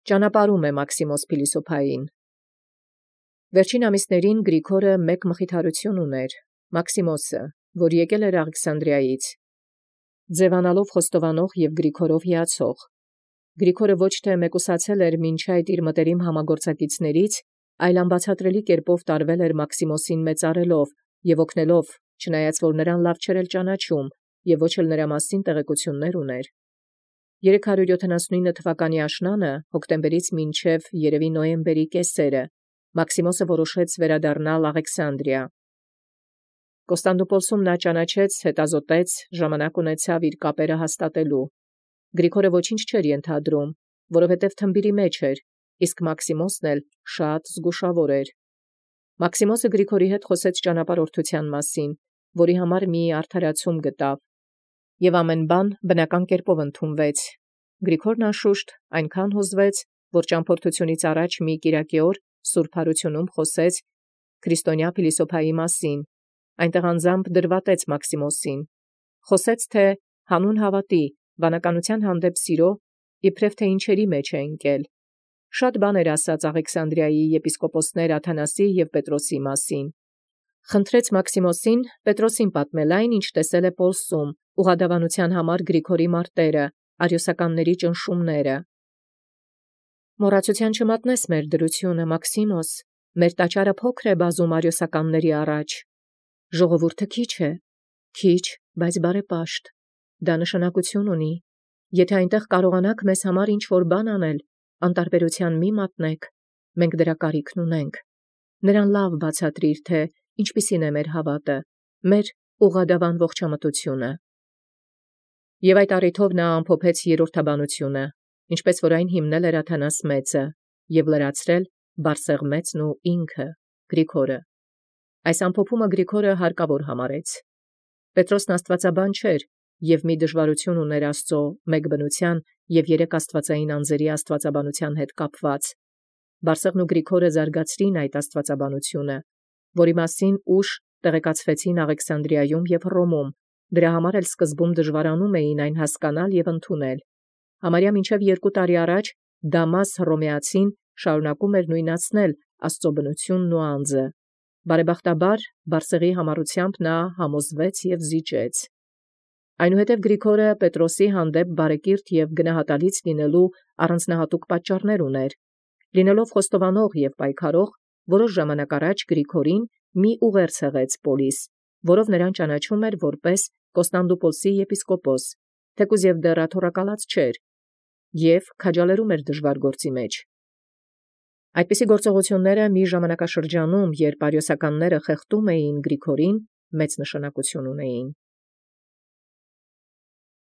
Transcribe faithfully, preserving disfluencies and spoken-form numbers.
Ճանապարհում է Մաքսիմոս փիլիսոփային։ Վերջին ամիսներին Գրիգորը մեկ մխիթարություն ուներ, Մաքսիմոսը, որ եկել էր Աղքսանդրիայից, ձևանալով խոստովանող և Գրիգորով հիացող։ Գրիգորը ոչ թե մեկուսացել էր մինչ այդ իր մտերիմ համագործակիցներից, այլ անբացատրելի կերպով տարվել էր Մաքսիմոսին մեծարելով և օգնելով, չնայած որ նրան լավ չէր էլ ճանաչում և ոչ էլ նրա մասին տեղեկություններ ուներ։ երեք հարյուր յոթանասունինը թվականի աշնանը, հոկտեմբերից մինչև երևի նոյեմբերի կեսերը, Մաքսիմոսը որոշեց վերադառնալ Աղքսանդրիա։ Կոստանդնուպոլսում նա ճանաչեց, հետազոտեց, ժամանակ ունեցավ իր կապերը հաստատելու։ Գրիգորը ոչինչ չէր ենթադրում, որովհետև թմբիրի մեջ էր, իսկ Մաքսիմոսն էլ շատ զգուշավոր էր։ Մաքսիմոսը Գրիգորի հետ խոսեց ճանապարհորդության մասին, որի համար մի արդարացում գտավ, և ամեն բան բնական կերպով ընդունվեց։ Գրիգորն անշուշտ այնքան հուզվեց, որ ճամփորդությունից առաջ մի կիրակի օր Սուրբ Հարությունում խոսեց քրիստոնյա փիլիսոփայի մասին, այնտեղ անձամբ դրվատեց Մաքսիմոսին, խոսեց, թե հանուն հավատի, վանականության հանդեպ սիրո, իբրև թե ինչերի մեջ է ընկել։ Շատ բաներ ասաց Աղքսանդրիայի եպիսկոպոսներ Աթանասի և Պետրոսի մասին։ Խնդրեց Մաքսիմոսին Պետրոսին պատմել այն, ինչ տեսել է Պոլսում, ուղղադավանության համար Գրիգորի մարտերը, արիոսականների ճնշումները։ Մոռացության չմատնես մեր դրությունը, Մաքսիմոս, մեր տաճարը փոքր է բազում արիոսականների առաջ։ Ժողովուրդը քիչ է, քիչ, բայց բարեպաշտ։ Դա նշանակություն ունի։ Եթե այնտեղ կարողանաք մեզ համար ինչ-որ բան անել, անտարբերության մի մատնեք, մենք դրա կարիքն ունենք։ Նրան լավ բացատրիր, թե ինչպիսին է մեր հավատը, մեր ուղղադավան ողջամտությունը։ Եվ այդ առիթով նա ամփոփեց երրորդաբանությունը, ինչպես որ այն հիմնել էր Աթանաս մեծը, և լրացրել Բարսեղմեծն ու ինքը, Գրիգորը։ Այս ամփոփումը Գրիգորը հարկավոր համարեց։ Պետրոսն աստվածաբան չէր և մի դժվարություն ուներ Աստծո մեկ բնության և երեք աստվածային անձերի աստվածաբանության հետ կապված։ Բարսեղն ու Գրիգորը զարգացրին այդ աստվածաբանությունը, որի մասին ուշ տեղեկացվեցին Աղքսանդրիայում և Հռոմում, դրա համար էլ սկզբում դժվարանում էին այն հասկանալ և ընդունել։ Համարյա մինչև երկու տարի առաջ Դամաս Հռոմեացին շարունակում էր նույնացնել Աստծո բնությունն ու անձը։ Բարեբախտաբար Բարսեղի համառությամբ նա համոզվեց և զիջեց։ Այնուհետև Գրիգորը Պետրոսի հանդեպ բարեկիրթ և գնահատալից լինելու առանձնահատուկ պատճառներ ուներ։ Լինելով խոստովանող և պայքարող, որոշ ժամանակ առաջ Գրիգորին մի ուղերձ հղեց Պոլիս, որով նրան ճանաչում էր որպես Կոստանդնուպոլսի եպիսկոպոս, թեկուզ և դեռ աթոռակալած չէր, և քաջալերում էր դժվար գործի մեջ։ Այդպիսի գործողությունները մի ժամանակաշրջանում, երբ արիոսականները խեղդում էին Գրիգորին, մեծ նշանակություն ունեին։